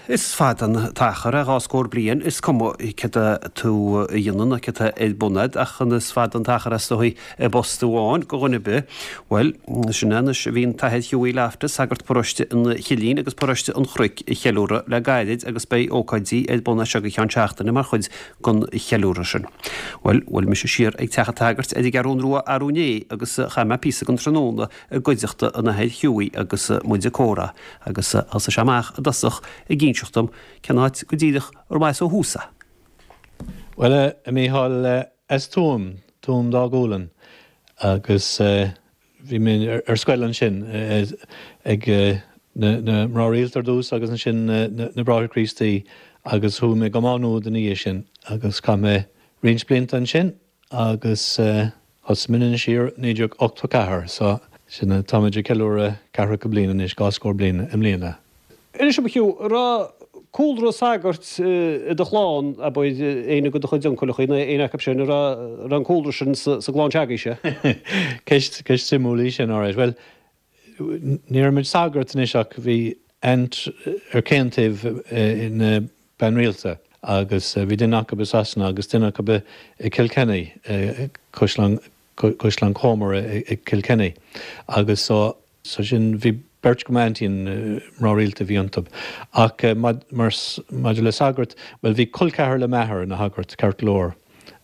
Is fada an t-achar é 2 scór bliain, is cuma céard atá tú a dhéanamh nó céard atá ar bun agat, ach is fada an t-achar é is dóigh i bpost amháin do dhuine ar bith. Bhuel, sin é anois, bhí an tAthair Hughie Loftus, sagart paróiste an Chillín agus paróiste an Chnoic a cheiliúradh le gairid agus beidh ócáidí ar bun as seo go ceann seachtaine mar chuid den cheiliúradh sin. Bhuel, bhuail mise siar ag teach an tsagairt ar an gCeathrún Rua arú inné agus chaith mé píosa den tráthnóna i gcuideachta an Athair Hughie agus muid ag comhrá agus thosaigh sé amach i dtosach ag inseacht dom cén áit go díreach arb as ó thús é. Bhuel, a Mhícheáil, as Tuaim, Tuaim Dá Gualainn, agus bhí mé ar scoil ansin ag na mná rialta ar dtús agus ansin na Bráithre Críostaí agus chuaigh mé go Má Nuad ina dhiaidh sin agus chaith mé roinnt blianta ansin agus thosaigh mé in Inis Oírr 1984 so sin táimid ag ceiliúradh ceathracha bliain anois, 20 bliain i mbliana. Anois a Hugh, an raibh cúlra sagairt i do chlann, abair, éinne de do chuid uncaileacha nó éinne acu sin, an raibh an cúlra sin sa gclann s'agaibhse? Ceist, ceist suimiúil í sin, alright. Bhuel, Ní raibh muid sagart anois ach bhí aunt ar chaon taobh ina bean rialta agus bhí duine acu i Sasana agus duine acu i Kilkenny, Caisleán Caisleán Comer i Kilkenny agus so so sin bhí beirt de m'aintín mná rialta a bhí iontu. Ach maidir le sagart, bhuel bhí col ceathar le m'athair ina shagart ceart go leor.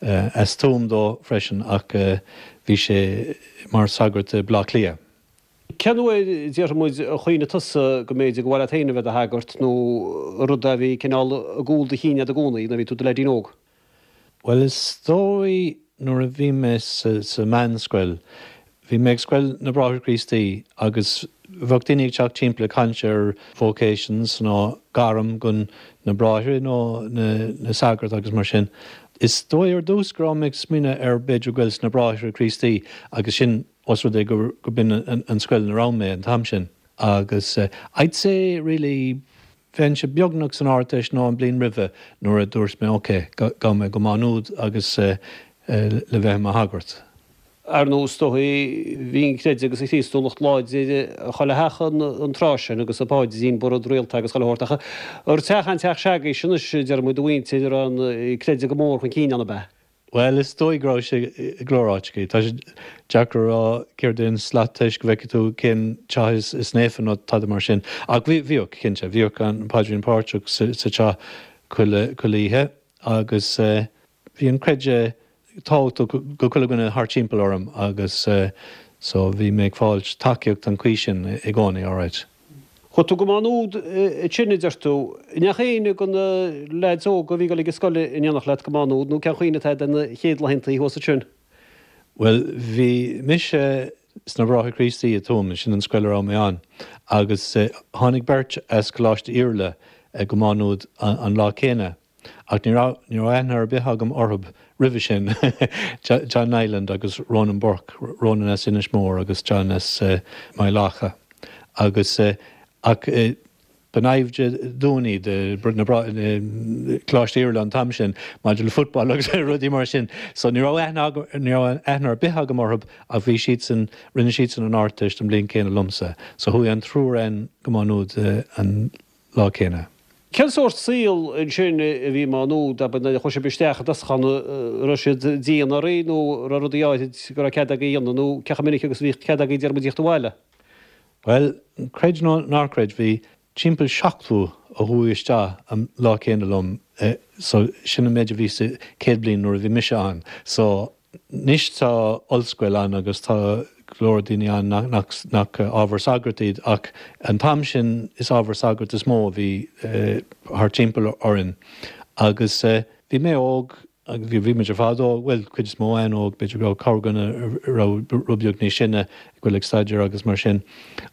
As Tuaim dó freisin ach bhí sé mar shagart i Bleá Cliath. Cén uair, déarfaidh muid, a chuimhnigh tusa go mb'fhéidir gur mhaith leat féin a bheith i do shagart nó rud a bhí cineál i gcúl do chinn agat i gcónaí nuair a bhí tú i do leaidín óg? Bhuel is dóigh nuair a bhí mé sa meánscoil, bhí mé ag Scoil na Bráithre Críostaí agus bheadh daoine ag teacht timpeall ag caint ar vocations nó gairm gon na bráithre nó na sagart agus mar sin. Is dóigh ar dtús go raibh mé ag smaoineamh ar b'fhéidir goil sna Bráithre Críostaí agus sin os rud é gur b'in an scoil ina raibh mé an t-am sin. Agus I'd say really bheinnse beagnach san Ardteist nó an bliain roimhe nuair a dúirt mé ok, gabhfaidh mé go Má Nuad agus le bheith i mo shagart. Ar ndóigh, is dóigh, bhí an creideamh agus an Chríostúlacht láidir chuile theach an tráth sin agus an paidrín ba rud rialta agus chuile shórt. Ach an teach an teach s'agaibhse anois, deir muid, do mhuintir, a raibh an creideamh go mór chun cinn ann, ab ea? Bhuel, is dóigh go raibh sé i go leor áiteachaí. Tá sé deacair a rá céard é an slat tomhais go bhfeicfidh tú cén teach is naofa nó tada mar sin. Ach bhíodh, cinnte. Bhíodh an paidrín páirteach sa teach chuile oíche agus bhí an creideamh tábhachtach go chuile dhuine thart timpeall orm agus so bhí mé ag fáilt tacaíocht an chaoi sin i gcónaí, alright. Chuaigh tú go Má Nuad ansin, a deir tú. An ndeachaigh éinne de na leaids óga a bhí ag dul ag an scoil in éineacht leat go Má Nuad nó cén chuimhne atá agat ar na chéad laethantaí thuas ansin? Bhuel, bhí mise sna Bráithre Críostaí i dTuaim, sin an scoil a raibh mé ann, agus tháinig beirt as Coláiste Iarla go Má Nuad an lá céanna. Ach ní raibh, ní raibh aithne ar bith agam orthub roimhe sin, John Niland agus Ronan Burke, Ronan as Inis Mór agus John as Maigh Locha. Agus, ach ba naimhde dúinn iad, na, Coláiste Iarla an t-am sin, maidir le football agus rudaí mar sin. So ní raibh aithne agam, ní raibh aithne ar bith agam orthub ach bhí siadsan, rinne siadsan an Ardteist an bhliain céanna liomsa. So chuaigh an triúr againn go Má Nuad an lá céanna. Cén sórt saol ansin a bhí i Má Nuad, abair, nuair a chuaigh sibh isteach i dtosach ann, an raibh siad dian oraibh nó an raibh rudaí áirid go raibh cead agaibh a dhéanamh nó cé chomh minic agus a bhíodh cead agaibh déarfaidh muid a thíocht abhaile? Bhuel, creid nó ná creid, bhí timpeall 70 a chuaigh isteach an lá céanna liom so sin an méid a bhí sa chéad bhliain nuair a bhí mise ann. So Anois tá ollscoil ann agus tá go leor daoine ann nach ábhar sagart iad ach an t-am sin is ábhar sagart is mó a bhí thart timpeall orainn. Agus bhí mé óg agus bhí muid ar fad óg, bhuel cuid is mó againn óg, b'fhéidir go raibh corrdhuine a raibh rud beag níos sine ag goil ag staidéar agus mar sin.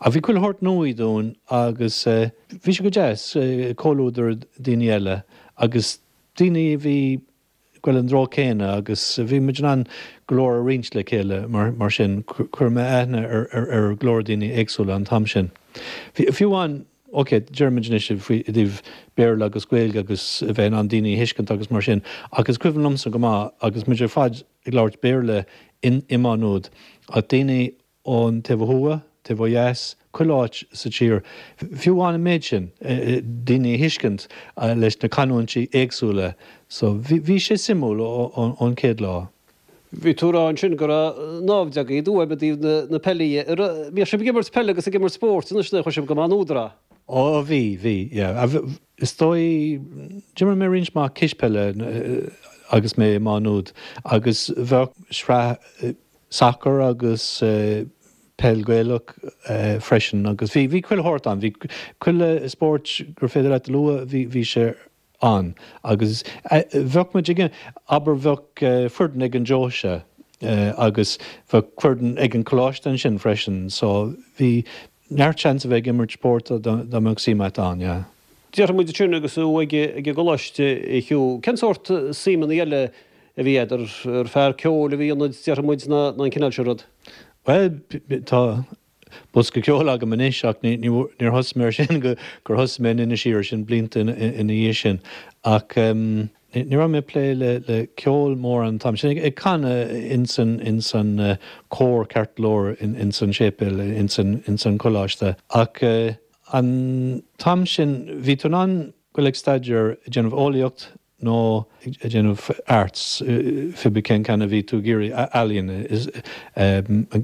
Ach bhí chuile shórt nua dúinn agus bhí sé go deas, comhluadar daoine eile agus daoine a bhí ag goil an treo céanna agus bhí muid in ann go leor a roinnt le chéile mar sin. Chuir mé aithne ar go leor daoine éagsúla an t-am sin. Fiú amháin, ok, deirimid anois faoi i dtaobh Béarla agus Gaeilge agus a bheith in ann daoine a thuiscint agus mar sin ach is cuimhin liomsa go maith agus muid ar fad ag labhairt Béarla in i Má Nuad ach daoine ón taobh ó thuaidh, taobh ó dheas. chuile áit sa tír, fiú amháin an méid sin, daoine a thuiscint leis na canúintí éagsúla. So bhí sé suimiúil ón chéad lá. Bhí tú ag rá ansin go raibh naimhde agaibh i dTuaim i dtaobh na peile. Bhíodh sibh ag imirt peile agus ag imirt spóirt anois nuair a chuaigh sibh go Maigh Nuad, an raibh? Ó bhí, bhí, yeah. Is dóigh, d'imir mé roinnt mhaith cispheile agus mé i Maigh Nuad agus bheadh sraith sacair agus peil Gaelach freisin agus bhí, bhí chuile shórt ann. Bhí chuile spórt gur féidir leat a lua, bhí, bhí sé ann agus bheadh muid ag, abair bheadh foireann ag an deoise agus bheadh foireann ag an choláiste ansin freisin so bhí neart seans a bheith ag imirt spóirt dá mbeadh suim a't ann, yeah. Déarfaidh muid ansin agus tú ag an gcoláiste a Hugh, cén sórt suímeanna eile a bhí agat? Ar fear ceoil a bhí ionat déarfaidh muid ná an cineál sin rud? Bhuel tá Bosca ceoil agam anois ach níor thosaigh mé air sin go gur thosaigh mé in Inis Oírr, sin blianta ina dhiaidh sin. Ach ní raibh mé ag plé le ceol mórán an t-am sin, ag canadh ins an cór ceart go leor ins an séipéal ins an choláiste. Ach an t-am sin bhí tú in ann goil ag staidéar, ag déanamh eolaíocht, nó ag déanamh arts, cibé cén ceann a bhí tú ag iarraidh, ealaíon,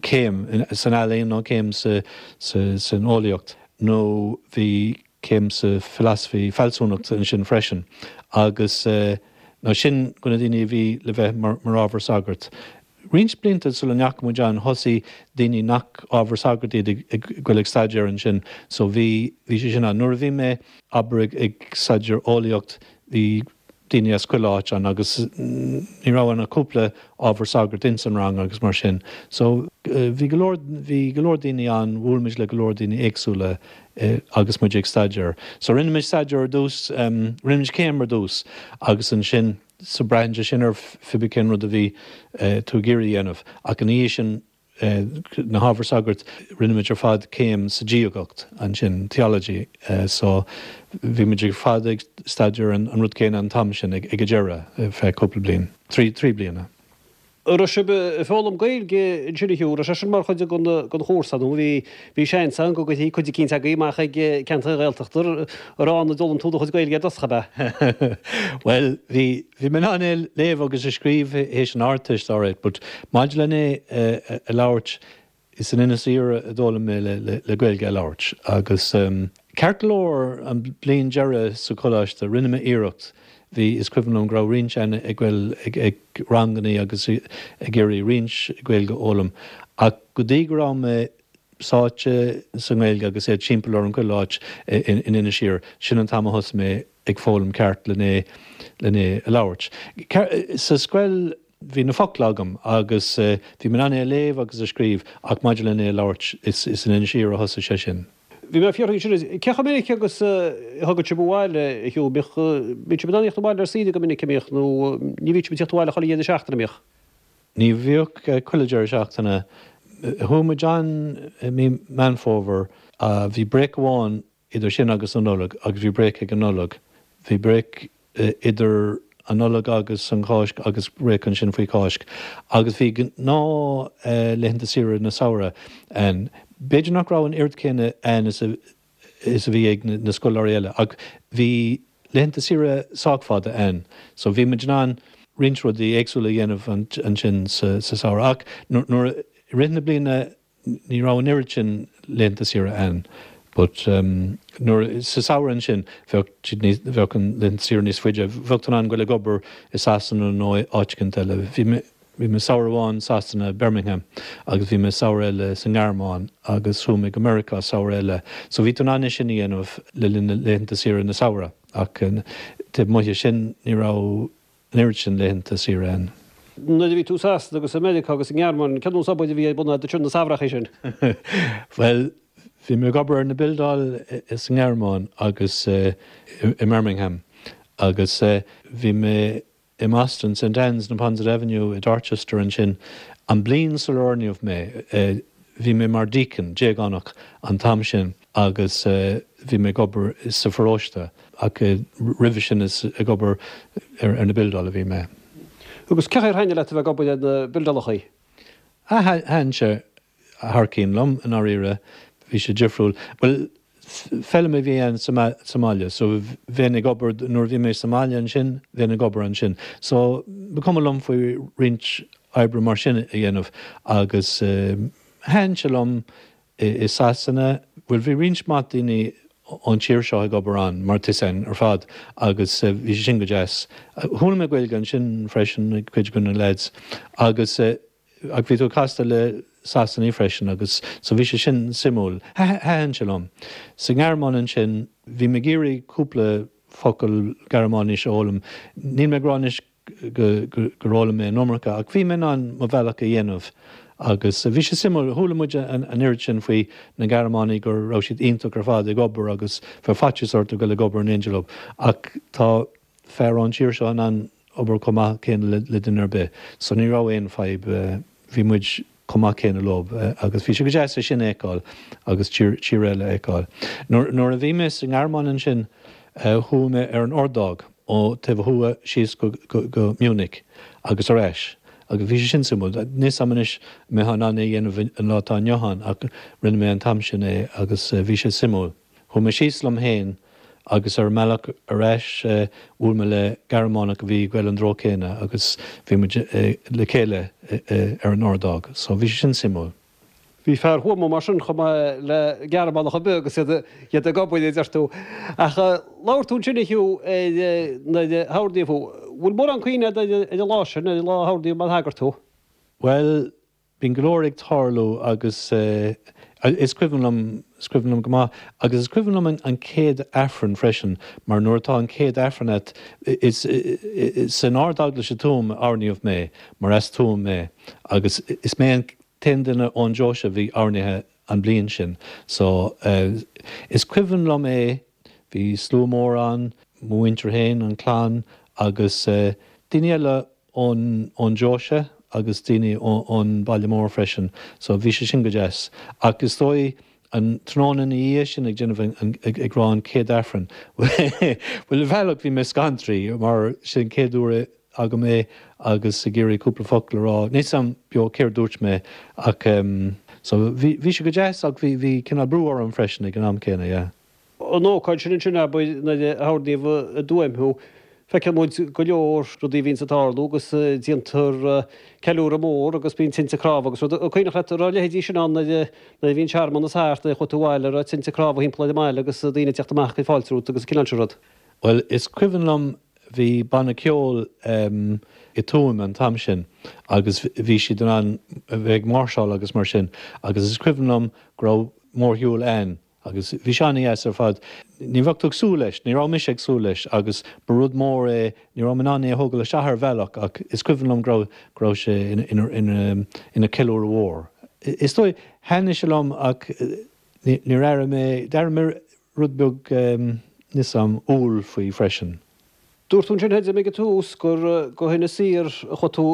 céim san ealaíon nó céim san eolaíocht, nó bhí céim sa philosophy, fealsúnacht ansin freisin, agus nó sin do na daoine a bhí le bheith mar ábhar sagart. Roinnt blianta sula ndeachaigh muid ann thosaigh daoine nach ábhar sagart iad ag goil ag staidéar ansin so bhí, bhí sé sin ann. Nuair a bhí mé, abair, ag staidéar eolaíocht bhí daoine as chuile áit ann agus ní raibh ann ach cúpla ábhar sagart ins an rang agus mar sin. So bhí go leor, bhí go leor daoine ann, bhuail muid le go leor daoine éagsúla agus muid ag staidéar. So rinne muid staidéar ar dtús, rinne muid céim ar dtús agus ansin, So braitheann sé sin ar cibé cén rud a bhí tú ag iarraidh a dhéanamh. Ach ina dhiaidh sin, na hábhair sagairt, rinne muid ar fad céim sa diagacht ansin, theology. So bhí muid ar fad ag staidéar an rud céanna an t-am sin ag an deireadh, ar feadh cúpla bliain, trí bliana. An raibh sibh ag foghlaim Gaeilge ansin a Hugh, raibh sé sin mar chuid den chúrsa nó bhí bhí seans ann go gcuirfí cuid eicínt agaibh amach ag ceantair Ghaeltachta, an raibh ann a d'fhoghlaim tú do chuid Gaeilge ar dtosach ab ea? Bhuel, bhí bhí mé in ann é a léamh agus a scríobh théis an Ardteist alright but maidir len é a labhairt, Is in Inis Oírr a d'fhoghlaim mé le Gaeilge a labhairt agus ceart go leor an bliain deireadh sa choláiste rinne mé iarracht, bhí, is cuimhin liom go raibh roinnt againn ag goil ag rangannaí agus ag iarraidh roinnt Gaeilge a fhoghlaim ach go dtí go raibh mé sáite sa nGaeilge agus é timpeall orm chuile áit in Inis Oírr, sin an t-am a thosaigh mé ag foghlaim ceart len é len é a labhairt. Sa scoil Bhí na focla agam agus bhí mé in ann é a léamh agus a scríobh ach maidir len é a labhairt, is in Inis Oírr a thosaigh sé sin. Bhí mé ag fiafraí ansin, cé chomh minic agus a thagadh sibh abhaile, a Hugh? Bíodh, bíonn sibh in ann a thíocht abhaile ar saoire go minic, an mbíodh, nó ní bhíodh sibh ag tíocht abhaile chuile dheireadh seachtaine, an mbíodh? Ní bhíodh chuile deireadh seachtaine. Chuaigh muid ann i mí Meán Fómhair. Bhí break amháin idir sin agus an Nollaig agus bhí break ag an Nollaig. Bhí break idir an Nollaig agus an Cháisc agus break ansin faoi Cháisc. Agus bhí gnáth laethanta saoire na samhradh ann. B'fhéidir nach raibh an oiread céanna ann is a is a bhí ag na scoláirí eile ach bhí laethanta saoire sách fada ann. So bhí muid in ann roinnt rudaí éagsúla a dhéanamh ansin sa samhradh. Ach nuair i rith na bliana Ní raibh an oiread sin laethanta saoire ann but nuair, sa samhradh ansin bheadh siad níos, bheadh an laethanta saoire níos faide, bheadh tú in ann goil ag obair i Sasana nó áit eicínt eile. Bhí mé, bhí mé samhradh amháin i Sasana, Birmingham, agus bhí mé samhradh eile sa nGearmáin agus chuaigh mé go Meiriceá samhradh eile. So bhí tú in ann é sin a dhéanamh le linn na laethanta saoire na samhradh ach taobh amuigh de sin ní raibh an oiread sin laethanta saoire ann. Nuair a bhí tú i Sasana agus i Meiriceá agus i nGearmáin, cén nós obair a bhí ar bun agat ansin na samhrachaí sin? Bhuel, bhí mé ag obair ar na buildeáil sa nGearmáin agus i mBirmingham agus bhí mé i mBoston, St Anne's, Neponset Avenue i Dorchester ansin. An bliain sular oirníodh mé, bhí mé mar deacon, déagánach, an t-am sin agus bhí mé ag obair sa pharóiste. Ach roimhe sin is ag obair ar na buildeáil a bhí mé. Agus cé chaoi ar thaitnigh leat a bheith ag obair ar na buildeálachaí? Ah, thaitin sé thar cionn liom, i ndáiríre. Bhí sé difriúil. Bhuel, feilm a bhí ann sa mbaile so bheinn ag obair, nuair a bhí mé sa mbaile ansin, bheinn ag obair ansin. So ba chuma liom faoi roinnt oibre mar sin a dhéanamh agus thaitin sé liom i Sasana, bhuel bhí roinnt mhaith daoine ón tír seo ag obair ann mar tá a fhios a'inn ar fad agus bhí sé sin go deas. Chuala mé Gaeilge ansin freisin ag cuid de na lads agus ach bhí tú ag castáil le Sasanaigh freisin agus so bhí sé sin suimiúil. Thaitin sé liom. Sa nGearmáin ansin bhí mé ag iarraidh cúpla focal Gearmáinis a fhoghlaim. Níl mé ag rá anois gur fhoghlaim mé an iomarca ach bhí mé in ann mo bhealach a dhéanamh agus bhí sé suimiúil. Chuala muid an oiread sin faoi na Gearmánaigh go raibh siad iontach ar fad ag obair agus bheadh faitíos ort a dhul ag obair in éindí leo ach tá fear ón tír seo in ann obair chomh maith céanna le duine ar bith so ní raibh aon fadhb, bhí muid chomh maith céanna leo agus bhí sé go deas é sin a fheiceáil agus tír eile a fheiceáil. Nuair a bhí mé sa nGearmáin ansin chuaigh mé ar an ordóg ó taobh thuaidh síos go Munich agus ar ais agus bhí sé sin suimiúil. Níl 'fhios a'm anois an mbeifeá in ann é a dhéanamh an lá atá inniu ann ach rinne mé an t-am sin é agus bhí sé suimiúil. Chuaigh mé síos liom féin agus ar an mbealach ar ais bhuail mé le Gearmánach a bhí ag goil an treo céanna agus bhí muid le chéile ar an ordóg. So bhí sé sin suimiúil. Bhí fear Thuama mar sin chomh maith le Gearmánach ar bith agus iad ag obair, a deir tú. Ach labhair tú ansin a Hugh ar nuair a hoirníodh thú. Bhfuil mórán cuimhne agat ar an lá sin, ar an lá a hoirníodh mar shagart thú? Bhuel, Bíonn go leor ag tarlú agus is cuimhin liom, is cuimhin liom go maith agus is cuimhin liom an chéad Aifreann freisin mar nuair atá an chéad Aifreann a't, is san Ard-Eaglais i Tuaim a oirníodh mé mar as Tuaim mé agus is mé an t-aon duine ón deoise a bhí oirnithe an bliain sin. So is cuimhin liom é, bhí slua mór ann, mo mhuintir féin, an chlann agus daoine eile ón ón deoise agus daoine ón baile mór freisin so bhí sé sin go deas. Ach is dóigh an tráthnóna ina dhiaidh sin ag déanamh an ag rá an chéad Aifreann bhuel ar bhealach bhí mé scantraithe mar sin chéad uair agam é agus ag iarraidh cúpla focal a rá. Níl 'fhios a'm beo céard dúirt mé ach so bhí bhí sé go deas ach bhí bhí cineál brú orm freisin ag an am céanna yeah. An ócáid sin ansin, abair, nuair a hoirníodh i dTuaim thú, feiceann muid go leor rudaí a bhíonns ag tarlú agus déantar ceiliúradh mór agus bíonn tinte cnámha agus rud. An cuimhneach leat an raibh a leithéidí sin ann nuair a bhí an searmanas thart, nuair a chuaigh tú abhaile, an raibh tinte cnámha thimpeall ar an mbaile agus daoine ag teacht amach ag fáilte romhat agus an cineál sin rud? Bhuel, is cuimhin liom bhí banna ceoil i Tuaim an t-am sin agus bhí siad in ann a bheith ag máirseáil agus mar sin agus is cuimhin liom go raibh mórshiúl ann Agus bhí sé an-dheas ar fad. Ní bheadh tú ag súil leis, ní raibh mise ag súil leis agus ba rud mór é, ní raibh mé in ann é a thógáil isteach ar bhealach ach is cuimhin liom go raibh, go raibh sé ina, ina, ina, ina ceiliúradh mhór. Is dóigh, thaitnigh sé liom ach ní, níor airigh mé, d'airigh mé rud beag, níl 'fhios a'm, umhal faoi freisin. Dúirt tú ansin a Fheidhm ag an tús gur go hInis Oírr a chuaigh tú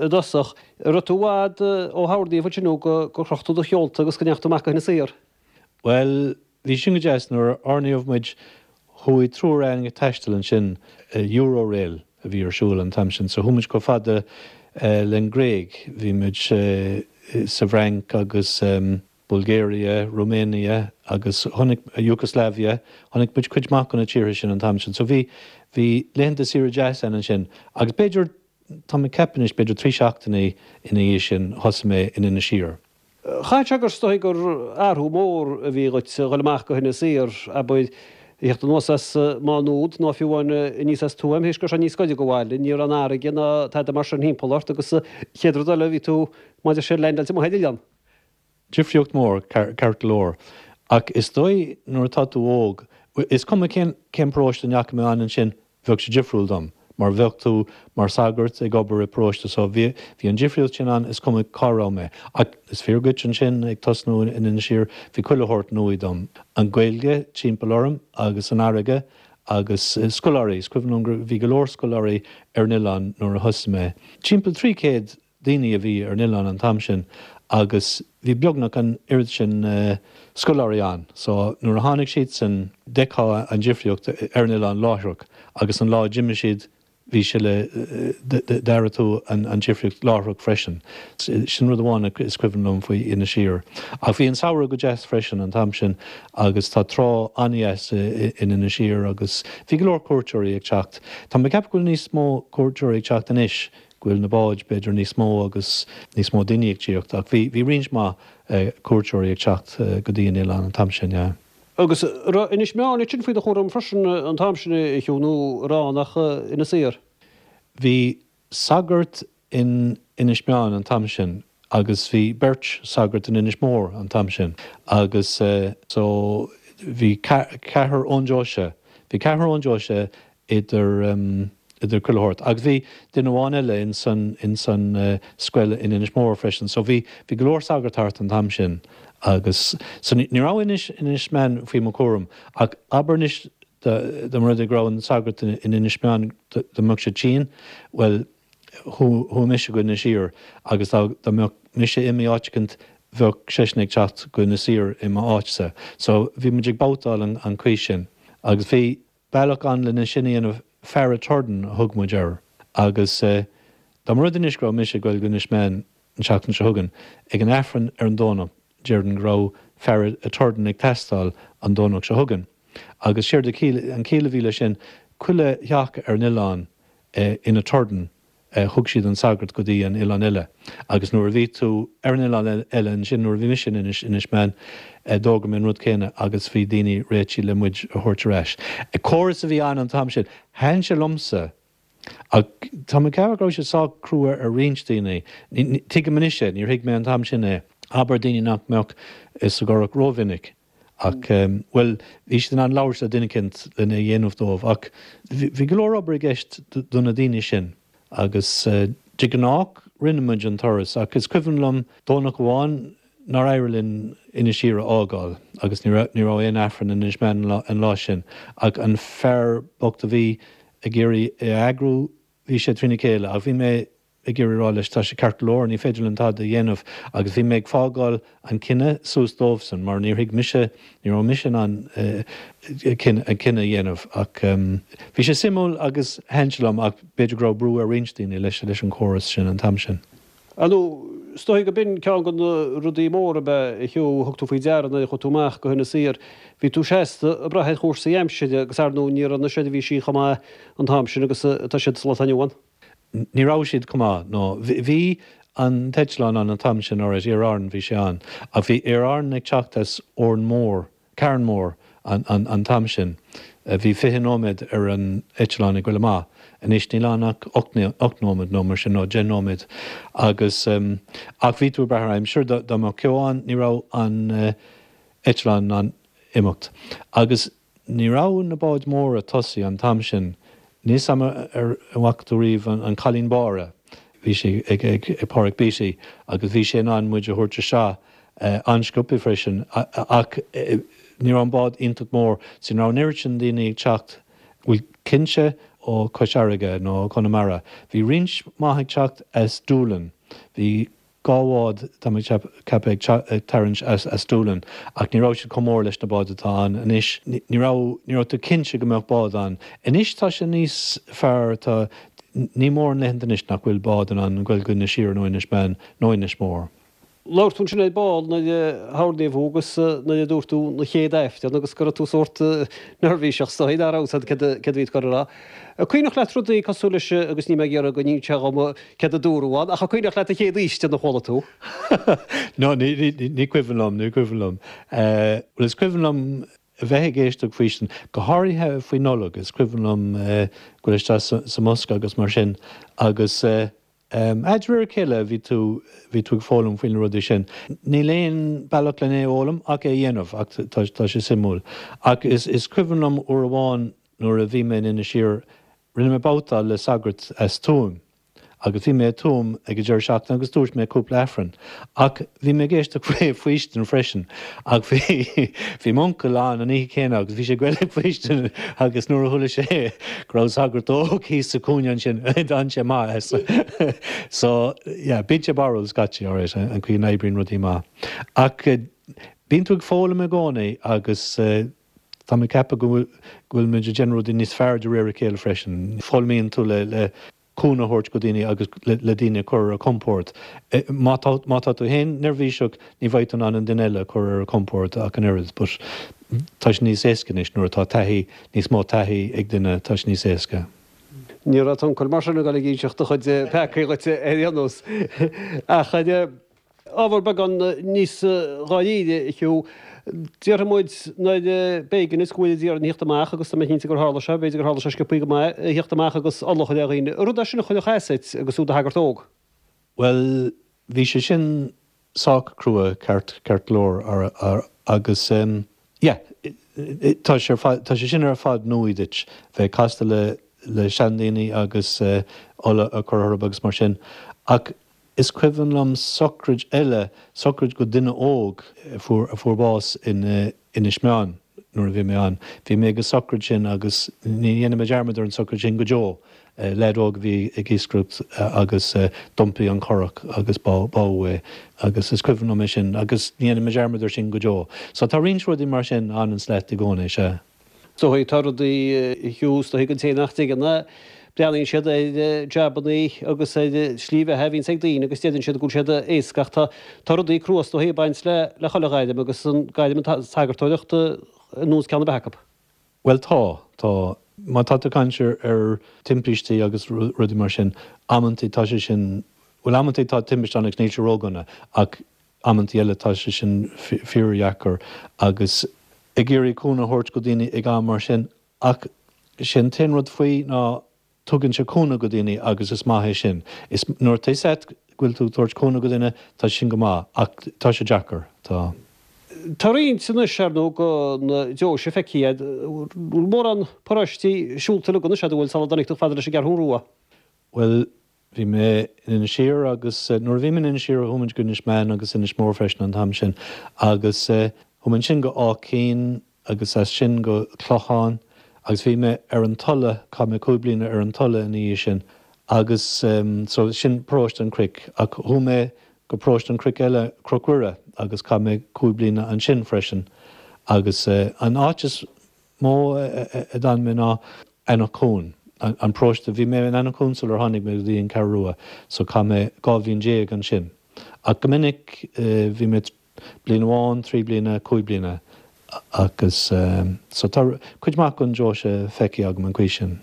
i dtosach. An raibh tú i bhfad ó hoirníodh ansin nó gur chroch tú do sheolta agus go ndeachaigh tú amach go hInis Oírr? Bhuel, bhí sin go deas. Nuair a oirníodh muid, chuaigh triúr againn ag taisteal ansin, Eurorail a bhí ar siúl an t-am sin, so chuaigh muid chomh fada leis an nGréig. Bhí muid sa bhFrainc agus Bulgaria, Romania agus chonaic, Yugoslavia, chonaic muid cuid maith de na tíortha sin an t-am sin. So bhí, bhí laethanta saoire deas againn ansin. Agus b'fhéidir, tá mé ag ceapadh anois, b'fhéidir trí seachtainí ina dhiaidh sin thosaigh mé in Inis Oírr. Chaithfeadh sé gur is dóigh gur athrú mór a bhí dhuit a dhul amach go hInis Oírr, abair, a theacht anuas as Má Nuad nó fiú amháin aníos as Tuaim, théis go raibh sé níos gaire go bhaile, ní raibh an fharraige ná tada mar sin thimpeall ort agus chéad rud eile bhí tú, mar a deir siad, leaindeáilte amuigh ar oileán. Difríocht mór, ceart go leor. Ach is dóigh nuair atá tú óg, is cuma cén paróiste a ndeachaigh mé ann ansin, bheadh sé difriúil dom, mar bheadh tú mar sagart ag obair i bparóiste so bhí bhí an difríocht sin ann, is cuma cá raibh mé. Ach is fíor dhuit ansin, ag tosnú in Inis Oírr, bhí chuile shórt nua dom. An Ghaeilge timpeall orm agus an fharraige agus scoláirí, is cuimhin liom go bhí go leor scoláirí ar an oileán nuair a thosaigh mé. Timpeall 300 daoine a bhí ar an oileán an t-am sin agus bhí beagnach an oiread sin scoláirí ann so nuair a tháinig siadsan d'fheicfeá an difríocht ar an oileán láithreach agus an lá a d'imigh siad. Bhí sé le, d'airigh tú an difríocht láithreach freisin. Sin rud amháin is cuimhin liom faoi Inis Oírr. Ach bhí an samhradh go deas freisin an t-am sin agus tá trá an-dheas in Inis Oírr agus bhí go leor cuairteoirí ag teacht. Tá mé ag ceapadh go bhfuil níos mó cuairteoirí ag teacht anois, go bhfuil na báid b'fhéidir níos mó agus níos mó daoine ag tíocht ach bhí, bhí roinnt mhaith cuairteoirí ag teacht go dtí an oileán an t-am sin, yeah. Agus an raibh Inis Meáin ansin faoi do chúram freisin an t-am sin, a Hugh, nó an raibh ann ach Inis Oírr? Bhí sagart in Inis Meáin an t-am sin agus bhí beirt sagart in Inis Mór an t-am sin agus so bhí ceathrar ón deoise, bhí ceathrar ón deoise idir idir chuile shórt. Agus bhí duine amháin eile ins an ins an scoil in Inis Mór freisin. So bhí bhí go leor sagart thart an t-am sin agus so ní raibh Inis Inis Meáin faoi mo chúram ach abair anois dá dá mba rud é go raibh an sagart in Inis Meáin dá mbeadh sé tinn, bhuel chuaigh mise go Inis Oírr agus dá dá mbeadh mise imithe áit eicint bheadh seisean ag teacht go Inis Oírr i m'áitse. So bhí muid ag babhtáil an an chaoi sin agus bhí Bealach ann lena sin a dhéanamh, Faire Torden a thug muid air. Agus dá mba rud anois go raibh mise ag goil go Inis Meáin an tseachtain seo chugainn, ag an Aifreann ar an Domhnach, déarfainn go raibh Faire Torden ag teastáil an Domhnach seo chugainn. Agus séard a chiall, an chiall a bhí leis sin, chuile theach ar an oileán ina Torden, thug siad an sagart go dtí an oileán eile agus nuair a bhí tú ar an oileán eile ansin, nuair a bhí mise in Inis, Inis Meáin, d'fhógair mé an rud céanna agus bhí daoine réitithe le muid a thabhairt ar ais. Córas a bhí ann an t-am sin. Thaitin sé liomsa ach tá mé ag ceapadh go raibh sé sách crua ar roinnt daoine. Tuigim anois é, níor thuig mé an t-am sin é. Abair daoine nach mbeadh sa gcurach rómhinic. Ach, bhuel, bhí siad in ann labhairt le duine eicint lena dhéanamh dóibh. Ach bhí go leor obair i gceist do na daoine sin. Agus de ghnáth rinne muid an turas. Ach is cuimhin liom Domhnach amháin nár éirigh linn Inis Oírr a fhágáil agus ní raibh ní raibh aon Aifreann in Inis Meáin an lá sin. Ach an fear bocht a bhí ag iarraidh é a eagrú, bhí sé trína chéile. Ach bhí mé ag iarraidh rá leis, tá sé ceart go leor, ní féidir linn tada a dhéanamh agus bhí mé ag fágáil an cinneadh suas dóibhsan mar níor thuig mise, ní raibh mise in ann an cinneadh a dhéanamh ach bhí sé suimiúil agus thaitin sé liom ach b'fhéidir go raibh brú ar roinnt daoine leis leis an chóras sin an t-am sin. Ar ndóigh, is dóigh go b'in ceann de na rudaí móra ab ea, a Hugh, a thug tú faoi deara nuair a chuaigh tú amach go hInis Oírr. Bhí tú seasta ag brath ar chúrsaí aimsire agus ar ndóigh ní raibh na seirbhísí chomh maith an t-am sin agus atá siad sa lá atá inniu ann. Ní raibh siad chomh maith, no. Bhí an t-eitleán ann an t-am sin, alright, Aer Arann, bhí sé ann. Ach bhí Aer Arann ag teacht as Órán Mór, Carnmore, an t-am sin. Bhí 20 nóiméad ar an eitleán ag goil amach. Anois níl ann ach 8 nóiméad nó mar sin, nó 10 nóiméad. Agus, ach bhí tú ag brath ar aimsir, dá mbeadh ceo ann, ní raibh an eitleán in ann imeacht. Agus. Ní raibh na báid móra tosaithe an t-am sin. Níl 's a'm ar bhfaca tú riamh an Cailín Báire. Bhí sé ag Páraic Beatty agus bhí sé in ann muid a thabhairt isteach an-sciobtha freisin ach ní raibh an bád iontach mór so ní raibh an oiread sin daoine ag teacht, bhuel cinnte ó Chois Fharraige nó Conamara. Bhí roinnt mhaith ag teacht as Doolin. Bhí 2 bhád, tá mé ag ceapadh, ag tarraingt as Doolin, ach ní raibh siad chomh mór leis na báid atá ann anois. Ní raibh, ní raibh tú cinnte go mbeadh bád ann. Anois tá sé níos fearr, tá, ní mórán laethanta anois nach bhfuil bád in ann goil go Inis Oírr nó Inis Meáin nó Inis Mór. Labhair tú ansin ar ball nuair a hoirníodh thú agus nuair a dúirt tú an chéad Aifreann agus go raibh tú sórt neirbhíseach is dóigh, nach raibh a fhios agat céard a bhí tú ag dul a rá. An cuimhneach leat rudaí cosúil leis agus níl mé ag iarraidh go n-inseofá dhom céard a dúradh ann, ach an cuimhneach leat an chéad fhaoistin a chuala tú? No, ní cuimhin liom, ní cuimhin liom. Bhuel, is cuimhin liom a bheith ag éisteacht ag faoistin, go háirithe faoi Nollaig, is cuimhin liom goil isteach sa mbosca agus mar sin agus de réir a chéile bhí tú, bhí tú ag foghlaim faoi na rudaí sin. Níl aon bealach len é a fhoghlaim ach é a dhéanamh ach tá sé suimiúil. Ach is cuimhin liom uair amháin Nuair a bhí mé in Inis Oírr, rinne mé babhtáil le sagart as Tuaim. Agus bhí mé i Tuaim ag an deireadh seachtaine agus dúirt mé cúpla Aifreann. Ach bhí mé ag éisteacht faoi faoistin freisin. Ach bhí bhí m'uncail ann an oíche chéanna agus bhí sé ag goil ag faoistin agus nuair a chuala sé go raibh sagart óg thíos sa chúinne ansin, d'fhan sé amach as. So, yeah, bíonn sé barrúil scaití, alright, an chaoi a n-oibríonn rudaí amach. Ach bíonn tú ag foghlaim i gcónaí agus. Tá mé ag ceapadh go bhfuil, go bhfuil muid ag déanamh rudaí níos fearr de réir a chéile freisin. Foghlaimíonn tú le, le cúnamh a thabhairt go daoine agus le, le daoine a chur ar a gcompord. Má tá, má tá tú féin neirbhíseach, ní bheidh tú in ann an duine eile a chur ar a chompord ach an oiread. But tá sé níos éasca anois nuair atá taithí, níos mó taithí ag duine, tá sé níos éasca. Ní raibh t'uncail mar sin ag dul ag inseacht do chuid peacaí dhuit ar aon nós. Ach ar ábhar beagán níos dáiríre, a Hugh, déarfaidh muid nuair b'éigean is go bhfuil iad ag iarraidh theacht amach agus tá mé cinnte gur tharla sé, b'fhéidir gur tharla sé sciobthaí go maith, a theacht amach agus ola a chur ar dhaoine. Rud é sin a chuirfeadh as duit agus tú i do shagart óg. Bhuel, bhí sé sin sách crua, ceart, ceart go leor, agus yeah, tá sé ar fad, tá sé sin ar fad nua duit, bheith ag castáil le, le seandaoine agus ola a chur orthu agus mar sin. Ach is cuimhin liom socraid eile, socraid go duine óg a fuair, a fuair bás in Inis Meáin nuair a bhí mé ann. Bhí mé ag an socraid sin agus ní dhéanfaidh mé dearmad ar an socraid sin go deo. Leaid óg a bhí ag iascaireacht agus d'iompaigh an curach agus bádh é agus is cuimhin liom é sin agus ní dhéanfaidh mé dearmad ar sin go deo. So tá roinnt rudaí mar sin a fhananns leat i gcónaí, sea. Is dóigh, tá rudaí fiú, is dóigh don té nach dtuigeann é, breathnaíonn siad ar jabannaí agus ar slí bheatha a bhíonns ag daoine agus deireann siad go bhfuil siad éasca ach tá tá rudaí crua is dóigh ag baint le le chuile ghairm agus an gairm an tsagartóireacht ar nós ceann ar bith acu. Bhuel tá, tá. Má tá tú ag caint ar timpistí agus rudaí mar sin, amantaí tá sé sin, bhuel amantaí tá timpiste ann agus níl sé ródhona ach amantaí eile tá sé sin fíordheacair agus ag iarraidh cúnamh a thabhairt go daoine ag am mar sin ach sé an t-aon rud faoi ná Tugann sé cúnamh go daoine agus is maith é sin. Is nuair atá fhios a't go bhfuil tú ag tabhairt cúnamh go duine, tá sin go maith, ach tá sé deacair, tá. Tá roinnt anois, ar ndóigh, go na deoise feicthe agat. Bhfuil mórán paróistí siúlta uilig anois agat, an bhfuil, sula dtáinig tú chomh fada leis an gCeathrú Rua? Bhuel, bhí mé in Inis Oírr agus nuair a bhí mé in Inis Oírr chuaigh muid go Inis Meáin agus Inis Mór freisin an t-am sin agus chuaigh mé ansin go Áth Cinn agus as sin go Clochán agus bhí mé ar an Tulaigh, chaith mé 5 bliana ar an Tulaigh ina dhiaidh sin agus so sin paróiste an Chnoic ach chuaigh mé go paróiste an Chnoic eile, Cnoc Mhuire agus chaith mé 5 bliana ansin freisin agus an áit is mó a d'fhan mé ná Eanach Cuain, an paróiste, bhí mé in Eanach Cuain sular tháinig mé go dtí an Cheathrú Rua so chaith mé 12 bhliain ansin ach go minic bhí mé Bliain amháin, 3 bliana, 5 bliana agus so tá cuid maith den deoise feicthe agam an chaoi sin.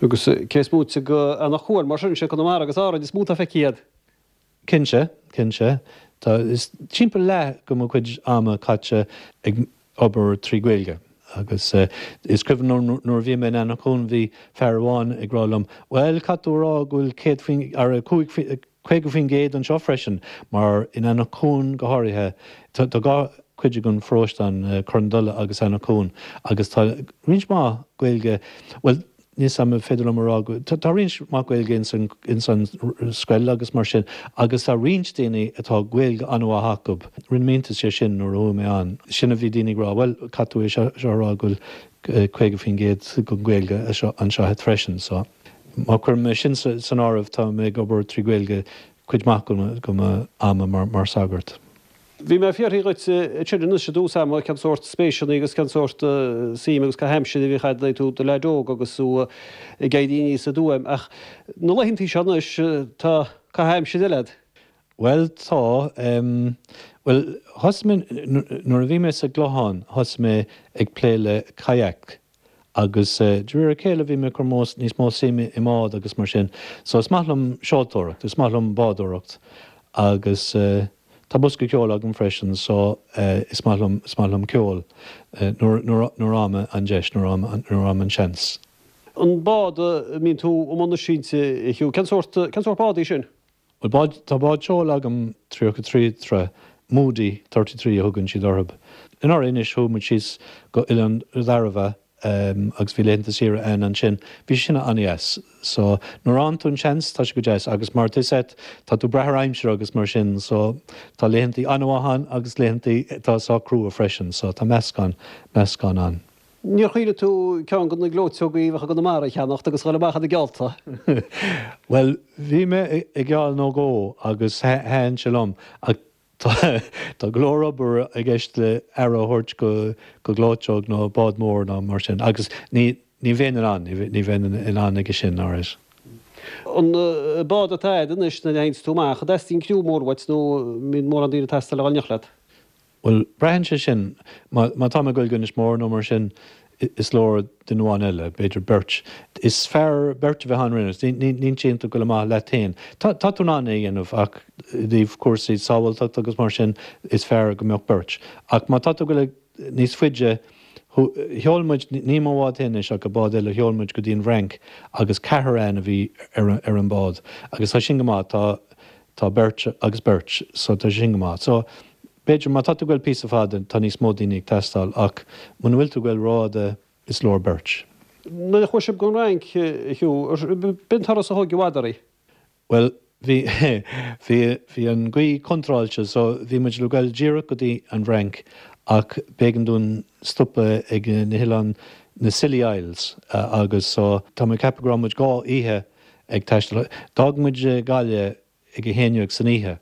Agus cé is móite go Eanach Cuain, mar sin, sé Conamara agus Árainn is mó atá feicthe agat. Cinnte, cinnte. Tá, is timpeall leath go mo chuid ama caite ag obair trí Ghaeilge agus is cuimhin liom nuair a bhí mé in Eanach Cuain bhí fear amháin ag rá liom, bhuel caithfidh tú a rá go bhfuil 100 faoin, ar 5, 50% anseo freisin, mar in Eanach Cuain go háirithe, tá dhá chuid den pharóiste ann, Corr na Dola agus Eanach Cuain, agus tá roinnt mhaith Gaeilge, bhuel, níl 's a'm an féidir liom a rá go, tá roinnt mhaith Gaeilge ins an scoil agus mar sin, agus tá roinnt daoine atá Gaeilge an-mhaith acu. Rinne mé iontas de sin nuair a chuaigh mé ann. Sin a bhí daoine ag rá, bhuel, caithfidh tú é seo a rá go bhfuil 50% den Ghaeilge anseo agat freisin, so. Má chuirim é sin san áireamh, tá mé ag obair trí Ghaeilge cuid maith go mo ama mar shagart. Bhí mé ag fiafraí dhuit ansin anois i dtús ama cén sórt spéiseanna agus cén sórt suim agus caitheamh aimsire a bhíodh agat nuair tú i do leaid óg agus tú ag éirí aníos i dTuaim. Ach na laethantaí seo anois, tá caitheamh aimsire eile agat. Bhuel, tá. Bhuel, thosaigh mé, nuair a bhí mé sa gClochán, thosaigh mé ag plé le kayak Agus de réir a chéile bhí mé ag cur níos mó suime i mbád agus mar sin. So is maith liom seoltóireacht, is maith liom bádóireacht agus tá bosca ceoil agam freisin so is maith liom, is maith liom ceol nuair, nuair, nuair a fhaighim an deis, nuair a fhaighim, nuair a fhaighim an seans. An bád a mbíonn tú i mbun na sínte, a Hugh, cén sórt, cén sórt bád í sin? Bhuel, bád, tá bád seoil agam, 33 troigh, Moody 33 a thugann siad orthu. Anuraidh anois chuaigh muid síos go Oileán Dairbhe agus bhí laethanta saoire againn ansin. Bhí sin an-dheas. So, nuair a fhaigheann tú an seans, tá sé go deas agus mar tá 'fhios a't, tá tú ag brath ar aimsir agus mar sin so tá laethantaí an-mhaith ann agus laethantaí atá sách crua freisin so tá meascán, meascán ann. Níor chuimhnigh tú ceann de na gleoiteogaí a bheadh i gConamara a cheannacht agus a dhul amach ina geallta? Bhuel, bhí mé ag geall nó dhó agus thaitin sé liom ach. Tá go leor obair i gceist le aire a thabhairt go gleoiteog nó bád mór nó mar sin agus ní bheinn in ann, ní bheinn in ann aige sin, alright. An bád atá agat anois nuair a théanns tú amach, an dteastaíonn criú mór uait nó an mbíonn mórán daoine ag teastáil a dhul in éineacht leat? Bhuel, braitheann sé sin. Má tá mé ag goil go Inis Mór nó mar sin, is leor duine amháin eile, b'fhéidir beirt. Is fearr beirt a bheith ann roimh. Níl sé iontach goil amach leat féin. Tá tú in ann é a dhéanamh ach i dtaobh cúrsaí sábháilteachta agus mar sin, is fearr go mbeadh beirt. Ach má tá tú ag goil níos faide, sheol muid, ní mo bhád féin anois ach bád eile, sheol muid go dtí an bhFrainc agus ceathrar againn a bhí ar an bád agus tá sin go maith. Tá Tá beirt agus beirt, so tá sé sin go maith. So, b'fhéidir, má tá tú ag goil píosa fada, tá níos mó daoine ag teastáil, ach muna bhfuil tú ag goil rófhada, is leor beirt. Nuair a chuaigh sibh don Fhrainc, a Hugh, b'in turas a thóg i bhfad oraibh? Bhuel, bhí, bhí, bhí an ghaoth contráilte, so bhí muid le goil díreach go dtí an bhFrainc, ach b'éigean dúinn stopadh ag na hoileáin, na Scilly Isles, agus so, tá mé ag ceapadh go raibh muid dhá oíche ag taisteal. D'fhág muid Gaillimh ag a haon dhéag san oíche.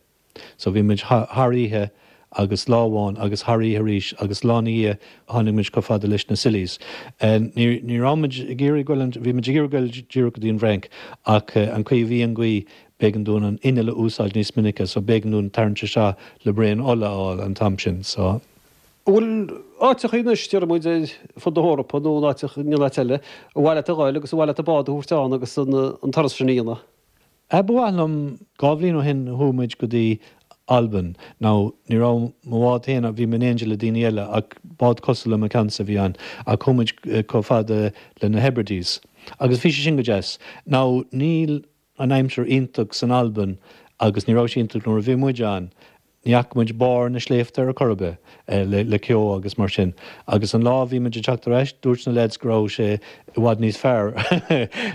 So bhí muid thar oíche agus lá amháin agus thar oíche arís agus lá ina dhiaidh tháinig muid chomh fada leis na Scillies. Ní ní raibh muid ag iarraidh goil an bhí muid ag iarraidh goil díreach go dtí an bhFrainc ach an chaoi a bhí an ghaoth b'éigean dúinn an inneall a úsáid níos minice so b'éigean dúinn tarraingt isteach le braon ola a fháil an t-am sin so. An bhfuil áiteachaí anois, déarfaidh muid, ar fud na hEorpa nó in áiteacha, in aon áit eile, ar mhaith leat a ghoil agus ar mhaith leat an bád a thabhairt ann agus an turas sin a dhéanamh? Ba mhaith liom. Dhá bhliain ó shin chuaigh muid go dtí Albain. Now, ní raibh mo bhád féin, bhí mé in éindí le daoine eile ach bád cosúil le mo cheannsa a bhí ann, ach chuaigh muid chomh fada le na Hebrides. Agus bhí sé sin go deas. Now, níl an aimsir iontach san Albain agus ní raibh sé iontach nuair a bhí muid ann. Ní fhaca muid barr na sléibhte ar chor ar bith le ceo agus mar sin. Agus an lá a bhí muid ag teacht ar ais, dúirt na leaids go raibh sé i bhfad níos fearr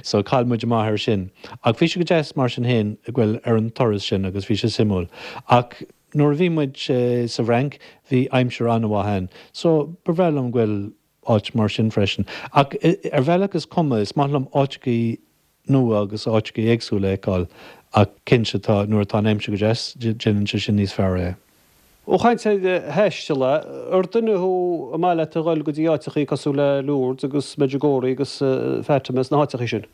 so chaill muid amach ar sin. Ach bhí sé go deas mar sin féin ag goil ar an turas sin agus bhí sé suimiúil. Ach nuair a bhí muid sa bhFrainc bhí aimsir an-mhaith ann so ba bhreá liom goil áit mar sin freisin. Ach ar bhealach is cuma, is maith liom áiteachaí nua agus áiteachaí éagsúla a fheiceáil ach cinnte tá, nuair atá an aimsir go deas, déanann sé sin níos fearr é. Ó chaint ar thaisteal, ar duine thú ar maith leat a dhul go dtí áiteachaí cosúil le Lourdes agus Medjugorje agus Fatima is na háiteachaí sin?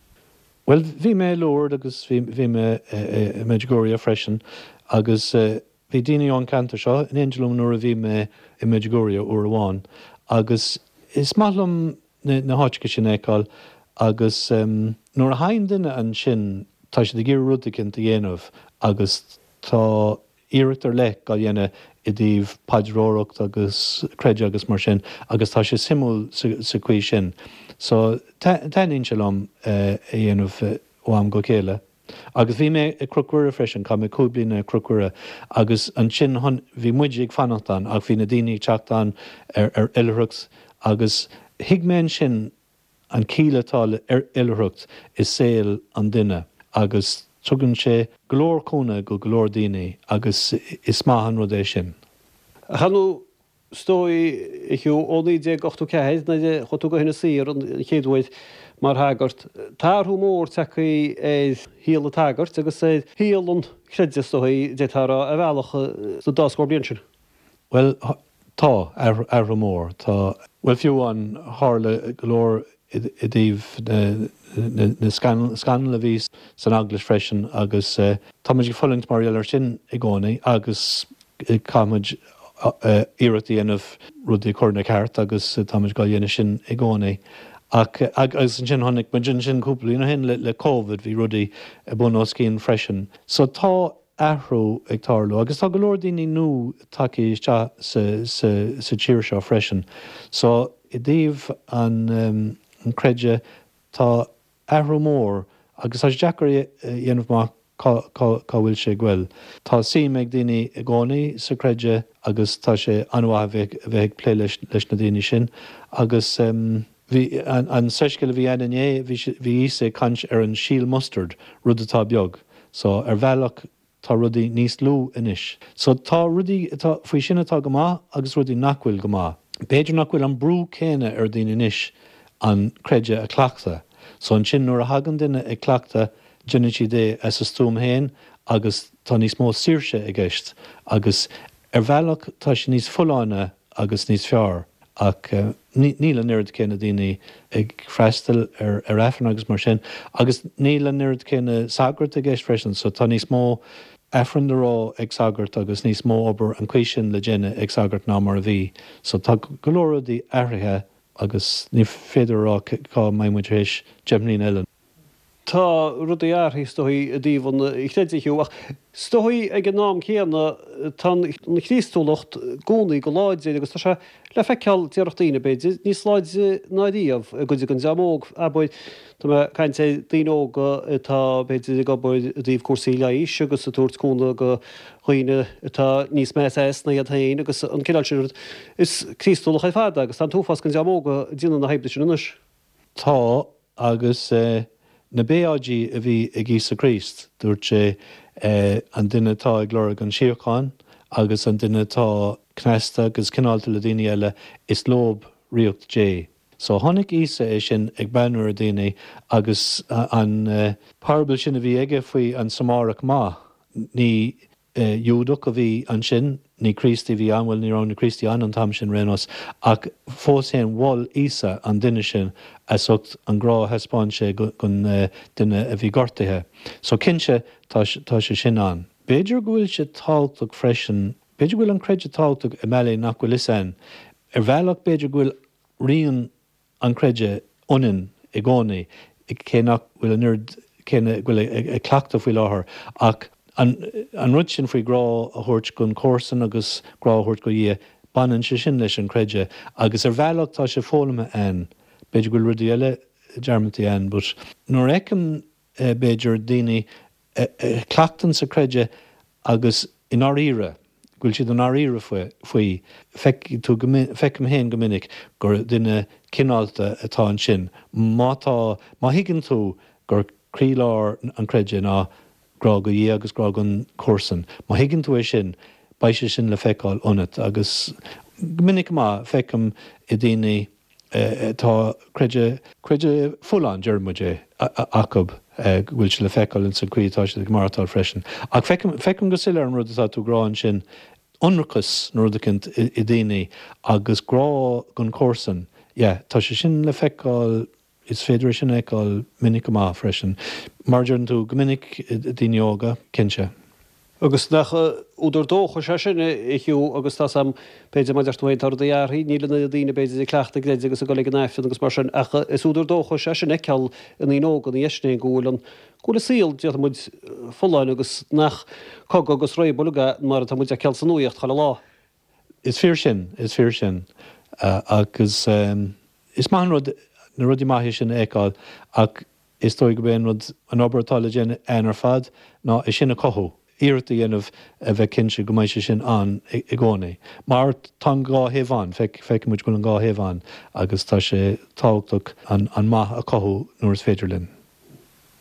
Bhuel, bhí mé i Lourdes agus bhí mé i Medjugorje freisin agus Bhí daoine ón cheantar seo in éindí liom nuair a bhí mé i Medjugorje uair amháin agus is maith liom na háiteacha sin a fheiceáil agus nuair a thagann duine ansin tá siad ag iarraidh rud eicínt a dhéanamh agus tá iarracht ar leith á dhéanamh i dtaobh paidreoireacht agus creideamh agus mar sin agus tá sé suimiúil sa chaoi sin. So taitníonn sé liom é a dhéanamh ó am go chéile. Agus bhí mé i Cnoc Mhuire freisin, chaith mé 5 bliana i Cnoc Mhuire agus ansin bhí muid ag fanacht ann ach bhí na daoine ag teacht ann ar oilithreacht agus thuig mé ansin an ciall atá le oilithreacht i saol an duine agus tugann sé go leor cúnamh go go leor daoine agus is maith an rud é sin. Ach ar ndóigh, Is dóigh, a Hugh, ó 1984, nuair a chuaigh tú go hInis Oírr an chéad uair mar shagart, tá athrú mór tagtha ar shaol an tsagairt agus ar shaol an chreidimh, is dóigh, d'fhéadfá a rá, ar bhealach, sa dá scór bliain sin. Bhuel, tá, athrú mór. Tá, bhuel, fiú amháin, tharla go leor i dtaobh na scannal a bhí san Eaglais freisin agus tá muid ag fulaingt mar gheall air sin i gcónaí agus caithfimid iarracht a dhéanamh rudaí a chur ina ceart agus táimid dhá dhéanamh sin i gcónaí. Ach agus ansin chonaic muid ansin cúpla bliain ó shin le Covid bhí rudaí bun os cionn freisin. So tá athrú ag tarlú agus tá go leor daoine nua tagtha isteach sa tír seo freisin. So i dtaobh an chreidimh tá athrú mór agus tá sé deacair a dhéanamh amach cá bhfuil sé ag goil. Tá suim ag daoine i gcónaí sa chreideamh agus tá sé an-mhaith a bheith ag plé leis na daoine sin agus bhí an soiscéal a bhí ann inné bhí Íosa ag caint ar an síol mustard, rud atá beag. So ar bhealach tá rudaí níos lú anois. So tá rudaí atá faoi sin atá go maith agus rudaí nach bhfuil go maith. B'fhéidir nach bhfuil an brú céanna ar daoine anois an creideamh a chleachtadh. So ansin nuair a thagann duine ag cleachtadh déanann siad é as a stuaim féin agus tá níos mó saoirse i gceist agus. Ar bhealach tá sé níos folláine agus níos fearr ach níl an oiread céanna daoine ag freastal ar Aifreann agus mar sin agus níl an oiread céanna sagart i gceist freisin so tá níos mó Aifreann le rá ag sagart agus níos mó obair an chaoi sin le déanamh ag sagart ná mar a bhí. So tá go leor rudaí athraithe agus ní féidir a rá cá mbeidh muid tar éis 10 mbliana eile. Tá rudaí athraithe is dóigh i dtaobh an chreidimh Hugh, ach is dóigh ag an am céanna tá an Chríostúlacht i gcónaí go láidir agus tá sé le feiceáil, déarfadh daoine, b'fhéidir, níos láidre ná riamh i gcuid den dream óg, abair. Tá mé ag caint ar daoine óga atá, b'fhéidir, ag obair i dtaobh cúrsaí leighis agus ag tabhairt cúnamh do dhaoine atá níos measa as ná iad féin agus an cineál sin rud. Is Críostúlach ar fad é agus tá an t-uafás den dream óg ag déanamh na hoibre sin anois. Tá, agus na Béáidí a bhí ag Íosa Críost, dúirt sé, an duine atá ag lorg an síocháin agus an duine atá cneasta agus cineálta le daoine eile, is leob ríocht Dé. So chonaic Íosa é sin ag breathnú ar daoine agus an parabal sin a bhí aige faoi an Samárach maith, ní Iúdach a bhí ansin, ní Críostaí a bhí ann, bhuel ní raibh na Críostaí ann an t-am sin ar aon nós, ach fós féin mhol Íosa an duine sin as ucht an grá a thaispeáin sé don duine a bhí gortaithe. So cinnte tá tá sé sin ann. B'fhéidir go bhfuil sé tábhachtach freisin, b'fhéidir go bhfuil an creideamh tábhachtach i mbealaí nach bhfuil fhios a'inn. Ar bhealach b'fhéidir go bhfuil rian an creideamh ionainn i gcónaí, cé nach bhfuil an oiread céanna againn ag cleachtadh faoi láthair, ach an rud sin faoi grá a thabhairt don chomharsan agus grá a thabhairt do Dhia, baineann sé sin leis an creideamh agus ar bhealach tá sé foghlamtha a'inn. B'fhéidir go bhfuil rudaí eile dearmadta a'inn but nuair a fheicim b'fhéidir daoine a chleachtann sa creideamh agus i ndáiríre, go bhfuil siad i ndáiríre faoi. Feicfidh tú go, feicim féin go minic gur duine cineálta atá ansin. Má tá, má thuigeann tú gur croílár an chreidimh ná grá go Dhia agus grá don chomharsan, má thuigeann tú é sin, beidh sé sin le feiceáil ionat. Agus go minic go maith, feicim i daoine, tá creideamh, creideamh folláin, deir muid é, acu, go bhfuil sé le feiceáil ins an chaoi atá siad ag maireachtáil freisin. Ach feicim, feicim go soiléir an rud atá tú ag rá ansin, ionracas nó rud eicínt i daoine agus grá don chomharsan, yeah, tá sé sin le feiceáil, is féidir é sin a fheiceáil minic go maith freisin. Mar a deireann tú, go minic i daoine óga, cinnte. Agus nach údar dóchais é sin, a Hugh, agus tá's a'm, b'fhéidir, mar a deir tú féin, tá rudaí athraithe, níl an oiread daoine, b'fhéidir, ag cleachtadh a gcreidimh agus ag dul ag an Aifreann agus mar sin, ach is údar dóchais é sin a fheiceáil i ndaoine óga ina dhiaidh sin go bhfuil an, go bhfuil an saol, déarfaidh muid, folláin agus nach cogadh agus réabadh uilig é mar atá muid a fheiceáil sa nuaíocht chuile lá. Is fíor sin, is fíor sin. Agus is maith an rud na rudaí maithe sin a fheiceáil ach Is dóigh gurb é an rud, an obair atá le déanamh againn ar fad ná é sin a chothú, iarracht a dhéanamh a bheith cinnte go mbeidh sé sin ann i gcónaí. Mar tá an dá thaobh ann, feicfidh muid go bhfuil an dá thaobh ann agus tá sé tábhachtach an maith a chothú nuair is féidir linn.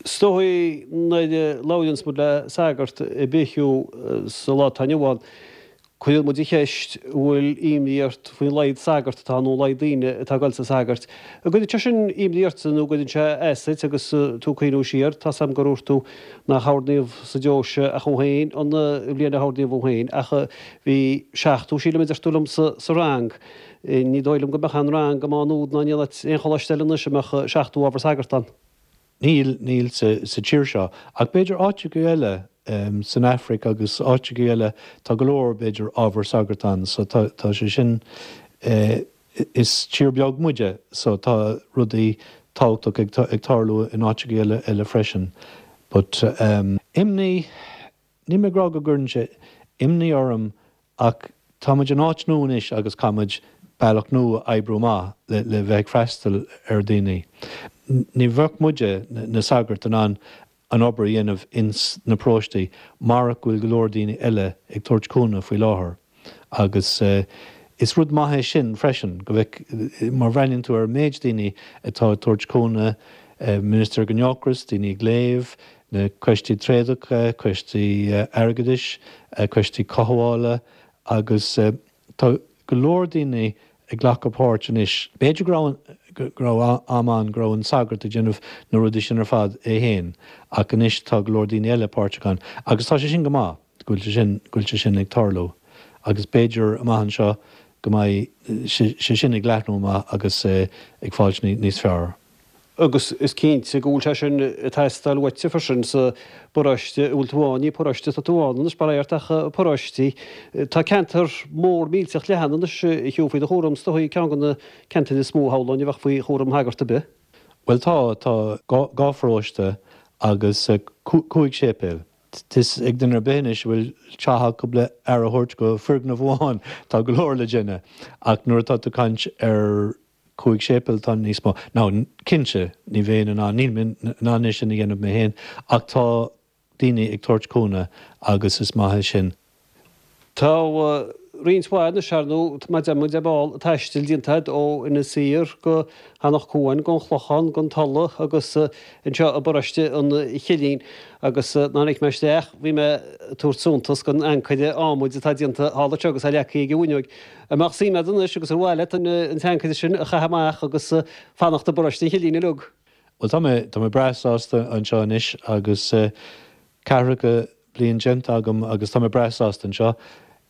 Is dóigh nuair a labhraíonns muid le sagart ar bith Hugh sa lá atá inniu ann, Cuireann muid an cheist, an bhfuil imní ort faoin laghad sagart atá ann nó an laghad daoine atá ag dul sna sagairt? An gcuireann sé sin imní ortsa nó an gcuireann sé as duit agus tú ag cuimhniú siar? Tá's agam gur dhúirt tú nach oirníodh sa deoise ach thú féin an bhliain a hoirníodh thú féin ach bhí 70 sílim a deir tú liom sa rang. Ní dóigh liom go mbeadh aon rang i Má Nuad ná in aon áit, aon choláiste eile anois a mbeadh 70 ábhar sagart ann. Níl, níl sa tír seo. Ach b'fhéidir áiteacha eile, san Afraic agus áiteacha eile, tá go leor, b'fhéidir, ábhar sagart ann. So tá, tá sé sin, is tír beag muide so tá rudaí tábhachtach ag, ag tarlú in áiteacha eile, eile freisin. But, imní, níl mé ag rá go gcuireann sé imní orm Ach tá muid in áit nua anois agus caithfidh muid bealach nua a oibriú amach le le bheith ag freastal ar dhaoine. Ní bheadh muide, na sagairt, in ann an obair a dhéanamh ins na paróistí marach go bhfuil go leor daoine eile ag tabhairt cúnamh faoi láthair. Agus is rud maith é sin freisin, go bhfeic, má bhreathnaíonn tú ar an méid daoine atá ag tabhairt cúnamh, Ministir don Eocairist, daoine ag léamh, na coistí tréadacha, coistí airgeadais, coistí cothabhála agus tá go leor daoine ag glacadh páirt anois. B'fhéidir go raibh go raibh am ann go raibh an sagart ag déanamh na rudaí sin ar fad é féin ach anois tá go leor daoine eile páirteach ann agus tá sé sin go maith go bhfuil sé sin go bhfuil sé sin ag tarlú. Agus b'fhéidir amach anseo go mbeidh sé sin ag leathnú amach agus ag fáilt níos fearr. Agus is cinnte go bhfuil sé sin ag teastáil uaitse freisin sa bparóiste a bhfuil tú ann, ní paróiste atá tú ann anois, bail ort, ach paróistí. Tá ceantar mór millteach leathan anois a Hugh faoi do chúram, is dóigh, ceann de na ceantair is mó shamhlóinn a bheadh faoi chúram shagart ar bith. Bhuel tá, tá dhá pharóiste agus cúig séipéal. Tá fhios ag duine ar bith anois a bhfuil teach acu le aire a thabhairt go foirgneamh amháin, tá go leor le déanamh. Ach nuair atá tú ag caint ar chúig séipéal tá níos mó. Now, cinnte, ní bheinn in ann, níl mé in ann é sin a dhéanamh mé féin, ach tá daoine ag tabhairt cúnamh agus is maith é sin. Tá roinnt mhaith anois, ar ndóigh, mar a deir muid ar ball, taistil déanta agat ó Inis Oírr go hEanach Cuain, go An Chlochán, go An Tulaigh agus anseo i bparóiste an Chillín. Agus nuair a tháinig mé isteach bhí mé ag tabhairt suntas don ancaire adhmaid atá déanta thall anseo agus é leagtha ag an bhfuinneoig. An mbeadh suim agat anois agus ar mhaith leat an t-ancaire sin a chaitheamh amach agus fanacht i bparóiste an Chillín uilig? Bhuel tá mé, tá mé breá sásta anseo anois agus ceathracha bliain déanta agam agus tá mé breá sásta anseo.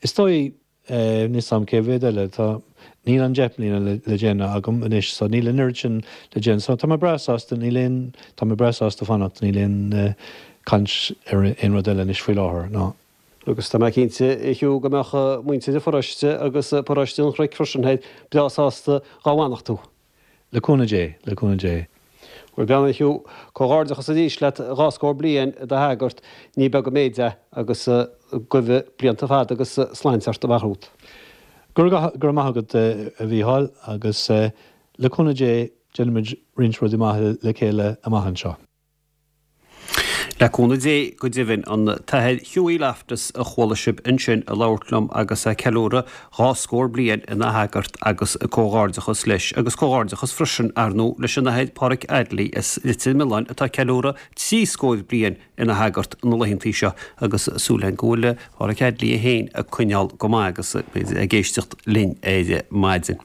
Is dóigh, níl 'fhios a'm cé mhéad eile, tá, níl an deich mbliana le, le déanamh agam anois so níl an oiread sin le déanamh. So tá mé breá sásta, níl aon, tá mé breá sásta fanacht, níl aon caint ar aon rud eile anois faoi láthair, ná. Agus tá mé cinnte, a Hugh, go mbeadh muintir an pharóiste agus paróiste an Chnoic freisin thoir breá sásta dhá bhfanacht tú. Le cúnamh Dé, le cúnamh Dé. Bhuel, bean a Hugh, comhghairdeachas arís leat, dhá scór bliain i do shagart, ní beag an méid é, agus guibhe blianta fada agus sláinte ort amach romhat. Go raibh maith agat, a Mhícheáil, agus le cúnamh Dé déanfaimid roinnt rudaí maithe le chéile amach anseo. Le cúnamh Dé, go deimhin, an tAthair Hughie Loftus a chuala sibh ansin ag labhairt liom agus é ag ceiliúradh dhá scór bliain ina shagart agus comhghairdeachas leis agus comhghairdeachas freisin, ar ndóigh, leis an Athair Páraic Addley as Leitir Mealláin atá ag ceiliúradh trí scór bliain ina shagart na laethantaí seo agus súil againn go bhfuil Páraic Addley é féin ag coinneáil go maith agus ag éisteacht linn ar maidin.